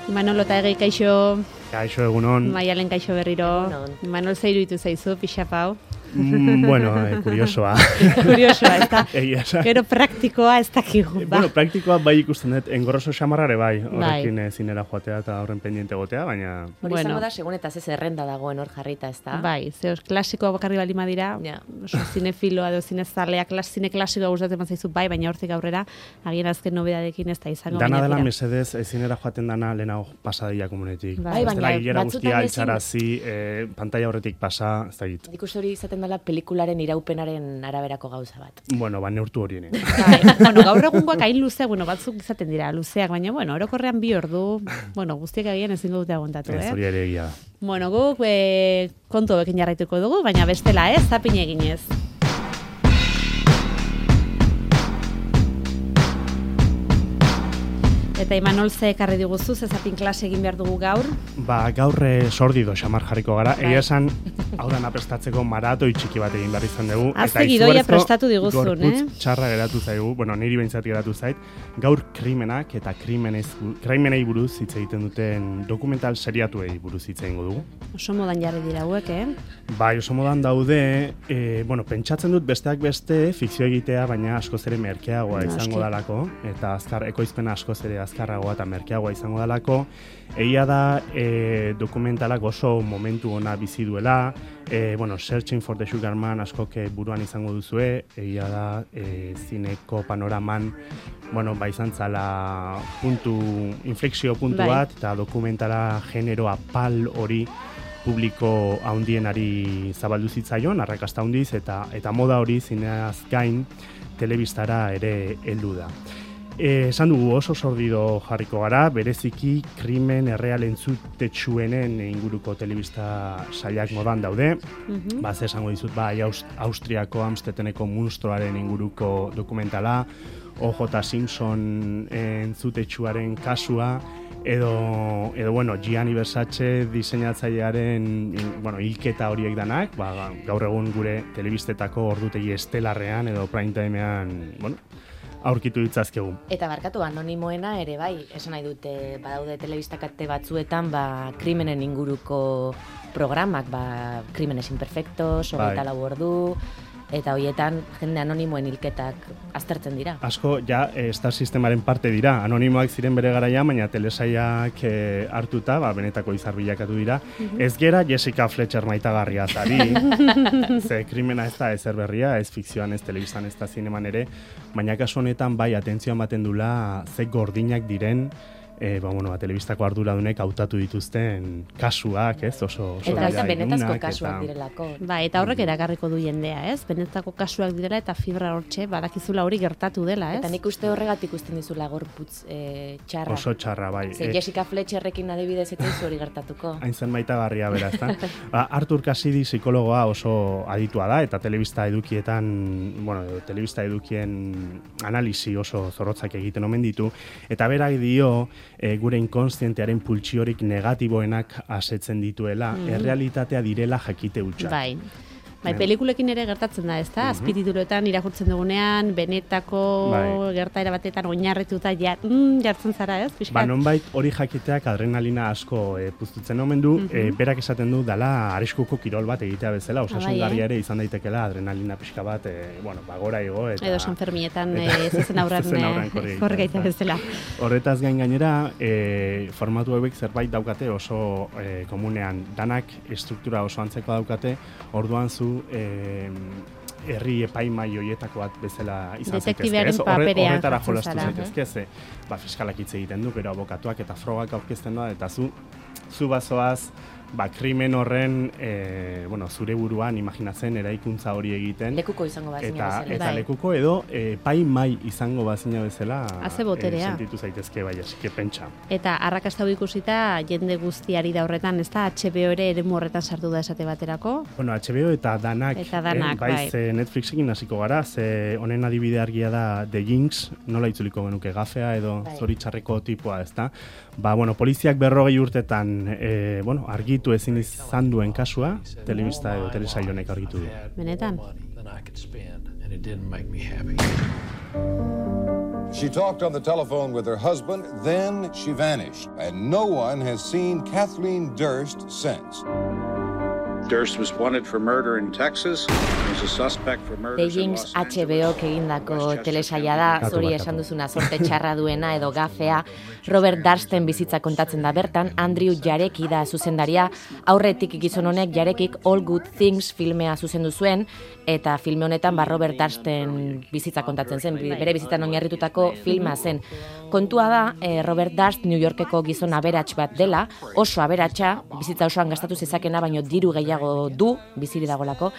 Manolo eta Egi, kaixo. Kaixo, egunon. Maialen kaixo berriro. Manol zeiru ditu zaizu, pixapau. Bueno, kuriosoa. Kuriosoa, ez da. Egia esan. Gero praktikoa ez dakigu. Bueno, praktikoa bai ikusten dut, engorroso xamarrare bai. Horrekin zinera joatea eta horren pendiente gotea, baina... Hori izango da, segun eta zerrenda dagoen hor jarrita, ez da? Bai, zehoz, klasikoa bakarri bali madira, oso zinefiloa edo zinezalea, zine klasikoa gustatzen zaizu bai, baina hortik aurrera, agien azken nobedadekin ez da izango. Dana dela mesedez, zinera joaten dana lehenago pasadilla komunetik. Bai, baina guztia altzarazi, pantalla horretik pasa, ez da git. Nik uste hori izaten dela pelikularen iraupenaren araberako gauza bat. Bueno, neurtu horien. Bueno, gaur egungoak hain luzeak, batzuk izaten dira luzeak, baina, orokorrean 2 ordu, guztiak agian ezingo dute aguantatu, Ez hori ere egia. Bueno, guk kontu bekin jarraituko dugu, baina bestela zapin eginez. Eta Imanol ze ekarri diguzu, zapin klase egin behar dugu gaur? Gaur sordido xamar jarriko gara. Egia esan, hau dana prestatzeko maratoi txiki bat egin behar izan dugu. Azte gidoia prestatu diguzun, gorputz txarra geratu zaigu, niri behintzat geratu zait. Gaur krimenak eta krimenei buruz hitz egiten duten dokumental seriatuei buruz hitz egingo dugu. Oso modan jarri dira hauek, Bai, oso modan daude, pentsatzen dut besteak beste fikzio egitea, baina askoz ere merkeagoa izango dalako, eta ekoizpena askoz ere azkarragoa eta merkeagoa izango dalako. Egia da dokumentalak oso momentu ona bizi duela, Searching for the Sugar Man askok buruan izango duzue, egia da zineko panoraman izan zala inflexio puntu bat, eta dokumentala genero apal hori publiko haundienari zabaldu zitzaion, arrakasta handiz, eta moda hori zineaz gain telebistara ere heldu da. Esan dugu oso sordido jarriko gara, bereziki krimen erreal entzutetsuenen inguruko telebista sailak modan daude. Ze esango dizut, Austriako Amsteteneko monstruoaren inguruko dokumentala, O.J. Simpson entzutetsuaren kasua, edo Gianni Versace diseinatzailearen hilketa horiek danak, gaur egun gure telebistetako ordutegi estelarrean edo prime timean, aurkitu ditzazkegu. Eta barkatu, anonimoena ere bai, esan nahi dute, badaude telebistakate batzuetan, krimenen inguruko programak, Crímenes Imperfectos, 24 ordu, eta horietan jende anonimoen hilketak aztertzen dira. Asko, Star Sistemaren parte dira, anonimoak ziren bere garaian, baina telesaiak hartuta, benetako izar bilakatu dira. Ez gera Jessica Fletcher maitagarria zari, ze krimena ez da ezer berria, ez fikzioan, ez telebistan, ez da zineman ere, baina kasu honetan atentzioan baten dula ze gordinak diren, telebistako arduradunek hautatu dituzten kasuak, oso eta benetazko kasuak direlako. Eta horrek erakarriko du jendea, benetako kasuak direla eta fibra hortxe, badakizula hori gertatu dela, Eta nik uste horregatik ikusten dizula gorputz txarra. Oso txarra, bai. Jessica Fletcherrekin adibidez ez hori gertatuko. Hain zen maitagarria bera, ezta? Arthur Cassidy psikologoa oso aditua da, eta telebista edukien analisi oso zorrotzak egiten omen ditu, eta berak dio, gure inkonstientearen pultsiorik negatiboenak asetzen dituela, errealitatea direla jakite hutsa. Bai, pelikulekin ere gertatzen da, ezta? Azpitituloetan irakurtzen dugunean, benetako gertaera batetan oinarrituta jartzen zara, ez? Nonbait hori jakiteak adrenalina asko puztutzen omen du, berak esaten du dala arriskuko kirol bat egitea bezala, osasungarria ere izan daitekela adrenalina pixka bat, gora igo eta... Edo Sanferminetan zezen aurran korrikaita bezala. Horretaz gainera, formatu hauek zerbait daukate oso komunean, danak estruktura oso antzeko daukate, orduan zu herri epaimai hoietako bat bezala izan zaitezke. Horretara jolastu zaitezke, fiskalak hitz egiten du, gero abokatuak eta frogak aurkezten da, eta zu bazoaz, krimen horren, zure buruan imaginatzen eraikuntza hori egiten. Lekuko izango bazina bezala. Eta lekuko edo epaimai izango bazina bezala Haze boterea. Sentitu zaitezke, asike pentsa. Eta arrakasta ikusita jende guztiari da horretan, ez da HBO ere eremu horretan sartu da esate baterako? HBO eta danak, ze Netflixekin hasiko gara, ze honen adibide argia da The Jinx, nola itzuliko genuke gafea edo zoritxarreko tipoa, ez da? Poliziak 40 urtetan argitu ezin izan duen kasua, telebista edo telesail honek argitu du. Benetan? and it didn't make me happy. She talked on the telephone with her husband, then she vanished, and no one has seen Kathleen Durst since. Durst was wanted for murder in Texas. He's a suspect for murder in Los Angeles. HBO egindako telesaila da, zuri esan duzuna sorte txarra duena edo gafea. Robert Dursten bizitza kontatzen da bertan, Andrew Jareki da zuzendaria, aurretik gizon honek Jarekik All Good Things filmea zuzendu zuen, eta filme honetan Robert Dursten bizitza kontatzen zen, bere bizitzan oinarritutako filma zen. Kontua da, Robert Durst New Yorkeko gizon aberats bat dela, oso aberatsa, bizitza osoan gastatu zezakena, baino diru gehiago du, biziri dagolako,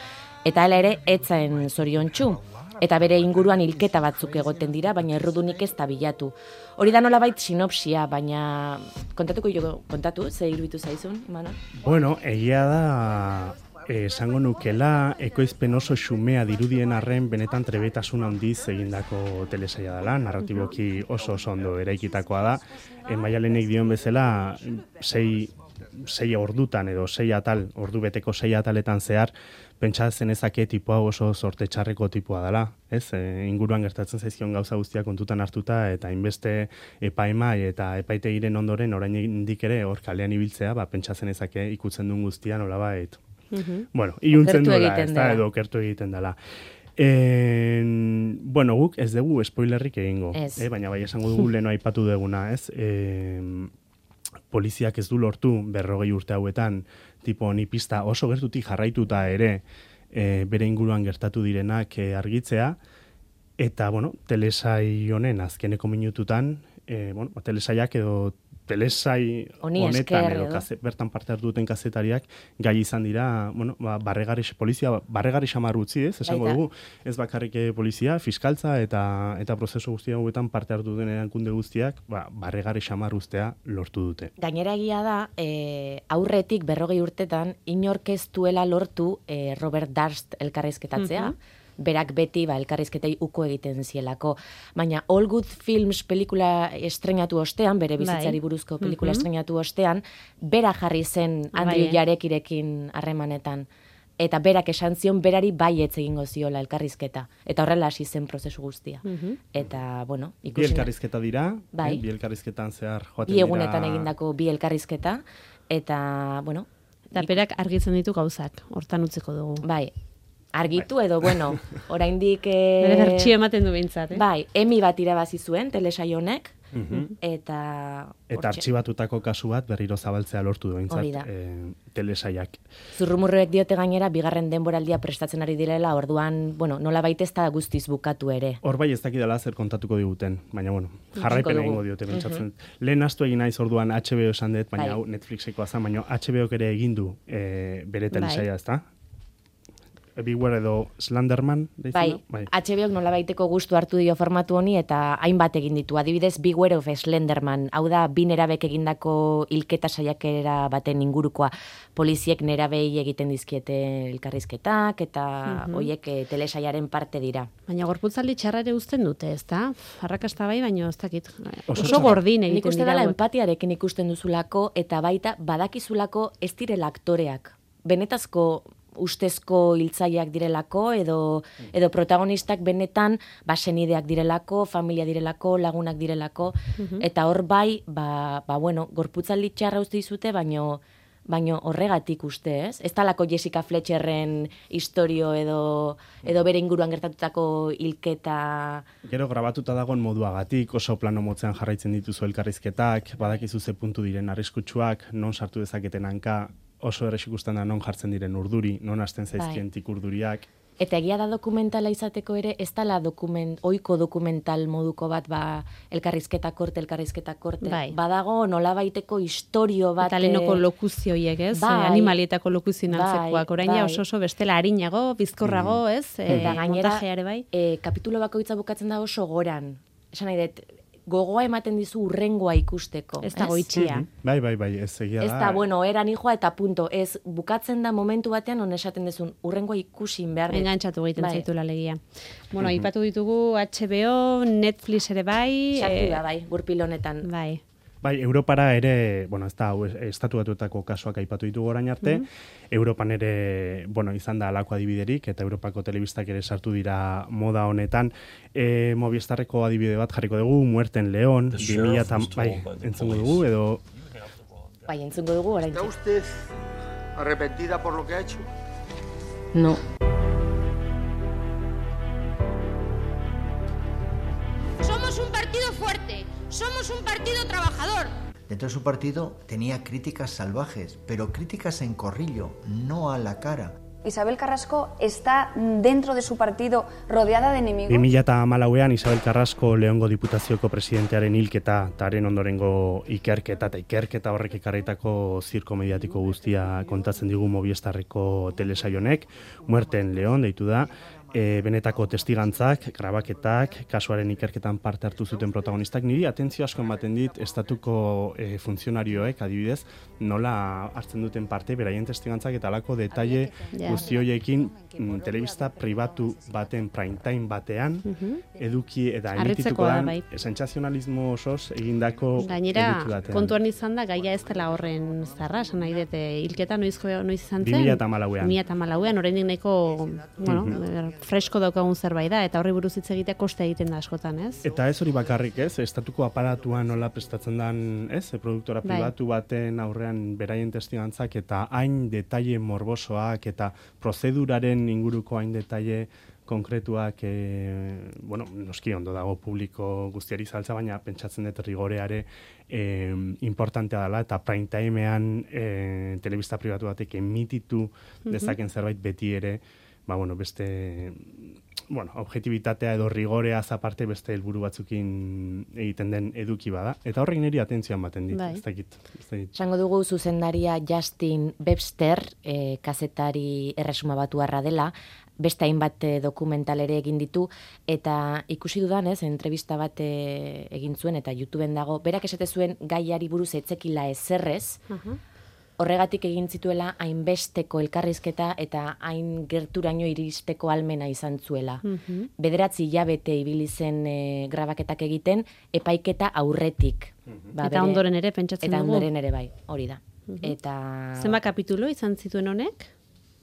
eta hala ere etzaen zoriontsu. Eta bere inguruan hilketa batzuk egoten dira, baina errudunik ez da bilatu. Hori da nolabait sinopsia, baina kontatu, ze iruditu zaizun, Imanol? Bueno, egia da, esango nukela, ekoizpen oso xumea dirudien arren benetan trebetasun handiz egindako telesaila dela, narratiboki oso ondo eraikitakoa da. Maialenek dion bezala, sei ordutan edo ordu beteko 6 ataletan zehar, pentsatzen ezake tipoa oso sorte txarreko tipoa dela, ez? Inguruan gertatzen zaizkion gauza guztiak kontutan hartuta eta hainbeste epaimai eta epaitegiren ondoren oraindik ere hor kalean ibiltzea, pentsatzen ezake ikutzen duen guztia nolabait. Bueno, iluntzen duela, ez da, edo okertu egiten dela. Bueno, guk ez dugu spoilerrik egingo, baina bai esango dugu leno aipatu duguna, ez? Poliziak ez du lortu 40 urte hauetan, tipo honi pista oso gertutik jarraituta ere bere inguruan gertatu direnak argitzea, eta, bueno, telesai honen azkeneko minututan, telesaiak edo telesai honetan edo bertan parte hartu duten kazetariak gai izan dira, polizia barregarri xamar utzi, esango dugu, ez bakarrik polizia, fiskaltza eta prozesu guztia hauetan parte hartu duten erakunde guztiak, barregarri xamar ustea lortu dute. Gainera egia da, aurretik 40 urtetan, inork ez duela lortu Robert Durst elkarrizketatzea, berak beti elkarrizketei uko egiten zielako. Baina All Good Films pelikula estrenatu ostean, bere bizitzari buruzko pelikula estrenatu ostean, bera jarri zen Andrew Jarekirekin harremanetan. Eta berak esan zion berari baietz egingo ziola elkarrizketa. Eta horrela hasi zen prozesu guztia. Eta, bueno, ikusi. Bi elkarrizketa dira, bi elkarrizketan zehar joaten dira. Bi egunetan egindako bi elkarrizketa. Eta, bueno. Eta berak argitzen ditu gauzak, hortan utziko dugu. Bai. Argitu edo, bueno, oraindik... Bere bertxio ematen du behintzat, Bai, Emmy bat irabazi zuen, telesaio honek, eta... Eta artxibatutako kasu bat berriro zabaltzea lortu du behintzat, telesaiak. Zurrumurruek diote gainera, bigarren denboraldia prestatzen ari direla, orduan, bueno, nola baita ez da guztiz bukatu ere. Hor bai ez dakidala zer kontatuko diguten, baina, bueno, jarraipen egingo diote pentsatzen. Lehen astu egin naiz orduan HBO esan dut, baina Netflixekoa zen, baina HBO ere egin du bere telesaia, ez da? Beware edo Slenderman, bai, HBOk nola baiteko gustu hartu dio formatu honi eta hainbat egin ditu. Adibidez, Beware of Slenderman, hau da, bi nerabek egindako hilketa saiakera baten ingurukoa. Poliziek nerabei egiten dizkiete elkarrizketak eta hoiek telesaiaren parte dira. Baina gorputzaldi txarra ere uzten dute, ez da? Arrakasta bai, baina ez dakit. Oso gordin egiten dira. Nik uste dela empatiarekin ikusten duzulako eta baita badakizulako ez direla aktoreak. Benetazko ustezko hiltzaileak direlako edo protagonistak benetan senideak direlako, familia direlako, lagunak direlako, eta hor bai, bueno, gorputzaldi txarra uste dizute, baino horregatik uste, ez? Ez talako Jessica Fletcherren historio edo bere inguruan gertatutako hilketa... Gero grabatuta dagoen moduagatik, oso plano motzean jarraitzen dituzu elkarrizketak, badakizu ze puntu diren arriskutsuak, non sartu dezaketen hanka, oso errez ikusten da non jartzen diren urduri, non hasten zaizkientik urduriak. Eta egia da dokumentala izateko ere, ez dala ohiko dokumental moduko bat, elkarrizketa korte. Badago nolabaiteko historio bat... Eta lehenoko lokuzioiek, ez? Animalietako lokuzioen antzekoak. Orain ja oso bestela harinago, bizkorrago, ez? Eta gainera, bai. kapitulo bakoitza bukatzen da oso goran. Esan nahi dut, gogoa ematen dizu urrengoa ikusteko. Ez dago itxia. Bai, ez egia da. Ez da, bueno, eran hijoa eta punto. Ez, bukatzen da momentu batean, on esaten dezun, urrengoa ikusin behar. Engantzatu egiten zaitula legia. Bueno, ipatu ditugu HBO, Netflix ere bai. Sartu da, bai, gurpil honetan. Bai. Bai, Europara ere, bueno, ez da, estatu batuetako kasuak aipatu ditugu orain arte, Europan ere, bueno, izan da halako adibiderik, eta Europako telebistak ere sartu dira moda honetan. Movistarreko adibide bat jarriko dugu, Muerten León, 2000, bai, entzungo dugu, edo... Bai, entzungo dugu, orain. ¿Está usted arrepentida por lo que ha hecho? No. Somos un partido fuerte, somos un partido trabajador. Dentro de su partido tenía críticas salvajes, pero críticas en corrillo, no a la cara. Isabel Carrasco está dentro de su partido rodeada de enemigos. 2014an Isabel Carrasco Leongo Diputazioko presidentearen hilketa eta haren ondorengo ikerketa horrek ekarritako zirko mediatiko guztia kontatzen digu Movistarreko telesaionek. Muerten León deitu da. Benetako testigantzak, grabaketak, kasuaren ikerketan parte hartu zuten protagonistak, niri atentzio asko ematen dit estatuko funtzionarioek, adibidez, nola hartzen duten parte, beraien testigantzak eta alako detaile guzti horiekin telebista pribatu baten prime time batean, eduki eta emitituko dan, sentsazionalismo osoz egindako eduki batean. Gainera, kontuan izan da, gaia ez dela horren zarra, esan nahi dute, hilketa noiz izan zen? 2014an, oraindik nahiko, bueno, fresko daukagun zerbait da, eta horri buruz hitz egitea koste egiten da askotan, ez? Eta ez hori bakarrik, ez? Estatuko aparatua nola prestatzen dan, ez? Produktora pribatu baten aurrean beraien testigantzak eta hain detaile morbosoak eta prozeduraren inguruko hain detaile konkretuak, bueno, noski ondo dago publiko guztiari saltza, baina pentsatzen dut rigoreare importantea dela, eta prime timean telebista pribatu batek emititu dezaken zerbait beti ere, ba, bueno, beste, bueno, objetibitatea edo rigorea aparte beste helburu batzukin egiten den eduki bada. Eta horrek niri atentzioan baten dit, ez dakit. Esango dugu zuzendaria Justin Webster, kazetari erresuma batuarra dela, beste hainbat dokumental ere egin ditu, eta ikusi dudanez, entrevista bat egin zuen, eta YouTubeen dago, berak esate zuen gaiari buruz etzekila ezerrez, horregatik egin zituela hainbesteko elkarrizketa eta hain gerturaino iristeko almena izan zuela. 9 hilabete ibili zen grabaketak egiten, epaiketa aurretik. Eta ondoren ere pentsatzen dugu? Eta ondoren ere bai, hori da. Zenbat kapitulo izan zituen honek?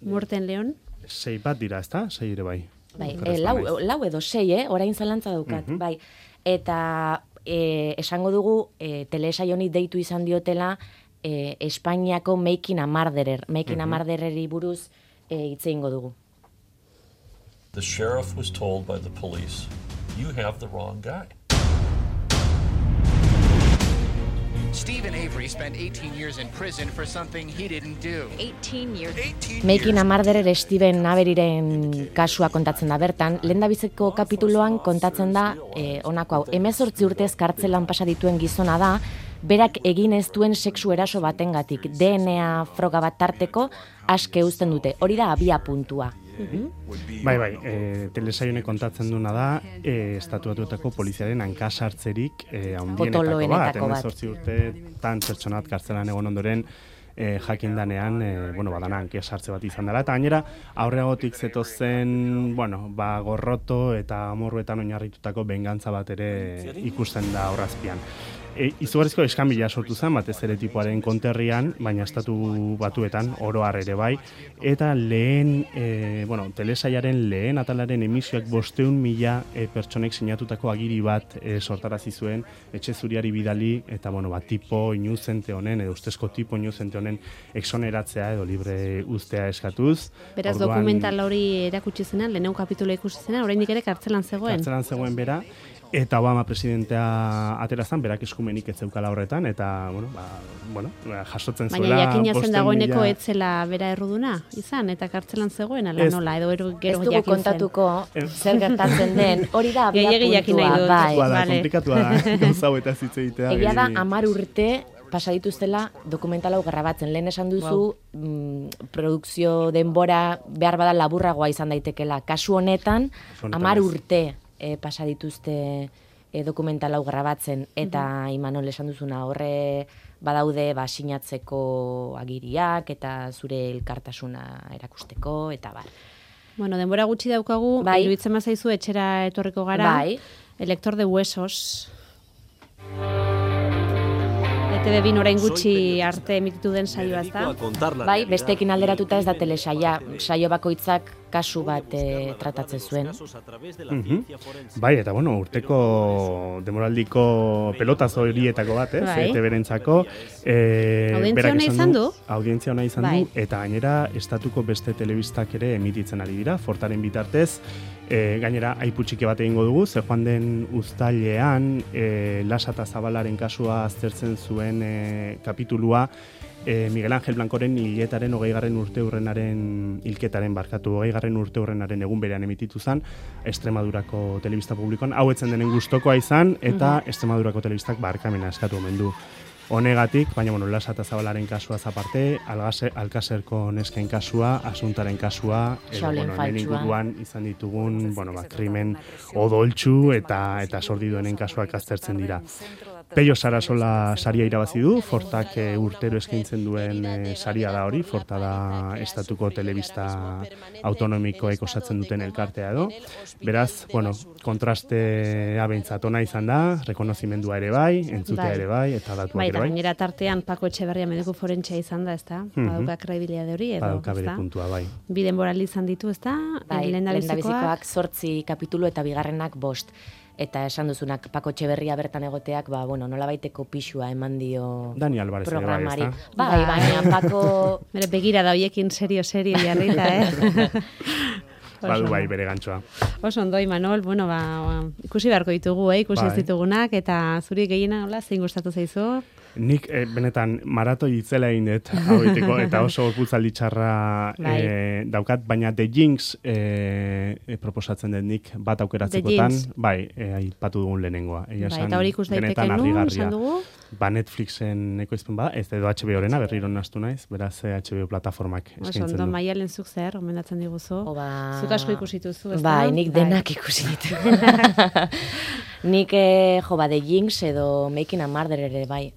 Muerten León? 6 bat dira, ezta? 6 ere bai. Bai, lau edo 6, orain zalantza daukat, bai. Eta esango dugu, telesaioni deitu izan diotela, Espainiako Making a Murdereri buruz hitz egingo dugu. The sheriff was told by the police, you have the wrong guy. Stephen Avery spent 18 years in prison for something he didn't do. 18 years. Making a Murderer Stephen Averiren kasua kontatzen da bertan, lehendabiziko kapituloan kontatzen da honako hau, 18 urtez kartzelan pasa dituen gizona da, berak egin ez duen sexu eraso batengatik, DNA froga bat tarteko aske uzten dute. Hori da abia puntua. Bai, telesaionek kontatzen duna da, estatuatuetako poliziaren hankasartzerik handienetako bat. 18 urte tan pertsonat kartzelan egon ondoren, jakindanean, bueno, badana hankasartze bat izan dela. Eta gainera, aurreagotik zetozen, bueno, gorroto eta amorruetan oinarritutako bengantza bat ere ikusten da horrazpian. Izugarrizko eskanbila sortu zen, batez ere tipoaren konterrian, baina estatu batuetan, oro har ere bai, eta lehen, bueno, telesaiaren lehen atalaren emisioak 500.000 pertsonek sinatutako agiri bat sortarazi zuen, etxe zuriari bidali, eta, bueno, tipo inuzente honen, edo ustezko tipo inuzente honen exoneratzea edo libre uztea eskatuz. Beraz, dokumental hori erakutsi zena, lehenengo kapitula ikusi zena, oraindik ere kartzelan zegoen. Kartzelan zegoen bera, eta Obama presidentea aterazan, berak eskumenik ez zeukala horretan, eta, bueno, jasotzen zuela... Baina jakina zen dagoeneko etzela bera erruduna izan, eta kartzelan zegoen, ala nola, edo gero jakin zen. Ez dugu kontatuko zer gertatzen den, hori da abia puntua, bai. Komplikatua da, gauzau eta zitze egitea. Egia da, 10 urte pasa dituztela dokumental hau grabatzen. Lehen esan duzu, produkzio denbora behar bada laburragoa izan daitekela. Kasu honetan, 10 urte pasa dituzte dokumental hau grabatzen, eta Imanol esan duzuna horre badaude sinatzeko agiriak eta zure elkartasuna erakusteko, eta bar. Bueno, denbora gutxi daukagu, iruditzen bazaizu etxera etorriko gara. Bai. El lector de huesos. ETV orain gutxi arte emititu den saioa ez da? Bai, besteekin alderatuta ez da telesaia, saio bakoitzak kasu bat tratatzen zuen. Bai, eta urteko demoraldiko pelotazo horietako bat, ETV-rentzako. Audientzia hona izan du? Audientzia hona izan du, eta gainera estatuko beste telebistak ere emititzen ari dira, Fortaren bitartez. Gainera, aipu txiki bat egingo dugu, ze joan den uztailean, Lasa eta Zabalaren kasua aztertzen zuen kapitulua, Miguel Ángel Blancoren hilketaren 20. urteurrenaren egun berean emititu zen, Extremadurako telebista publikoan, hau etzen denen gustokoa izan, eta Extremadurako telebistak barkamena eskatu omen du. Honegatik, baina Lasa eta Zabalaren kasua zaparte, Alkaserko nesken kasua, Asuntaren kasua, hemen inguruan izan ditugun, krimen odoltsu eta sordiduenen kasuak aztertzen dira. Peio Sarasola saria irabazi du, Fortak urtero eskaintzen duen saria da hori, Forta da estatuko telebista autonomikoek osatzen duten elkartea edo. Beraz, kontrastea behintzat ona izan da, rekonozimendua ere bai, entzutea ere bai, eta datuak ere bai. Gainera tartean Pako Etxeberria mediku forentzia izan da, ezta? Badauka kredibilitate hori edo, badauka bere puntua, bai. Bi denboraldi izan ditu, ezta? Lehendabizikoak 8 kapitulu eta bigarrenak 5. Eta esan duzunak Pako Etxeberria bertan egoteak, nolabaiteko pixua eman dio Dani Alvarez programari. Bai, baina Pako... Bere begira da hoiekin serio jarrita, Badu bai bere gantxoa. Oso ondo, Imanol, ikusi beharko ditugu, ikusi ez ditugunak, eta zuri gehiena, zein gustatu zaizu? Nik benetan maratoi itzela egin dut haueteko, eta oso gorputzaldi txarra daukat, baina The Jinx proposatzen dut nik bat aukeratzekotan, aipatu dugun lehenengoa. Eta hori ikus daiteke nun, esan dugu? Netflixen ekoizpen ez edo HBO-rena, berriro nastu naiz, beraz HBO plataformak eskaintzen du. Oso ondo, Maialen zuk zer, gomendatzen diguzu. Zuk asko ikusituzu, ez da? Bai, nik denak ikusitu. Nik The Jinx edo Making a Murderer ere bai.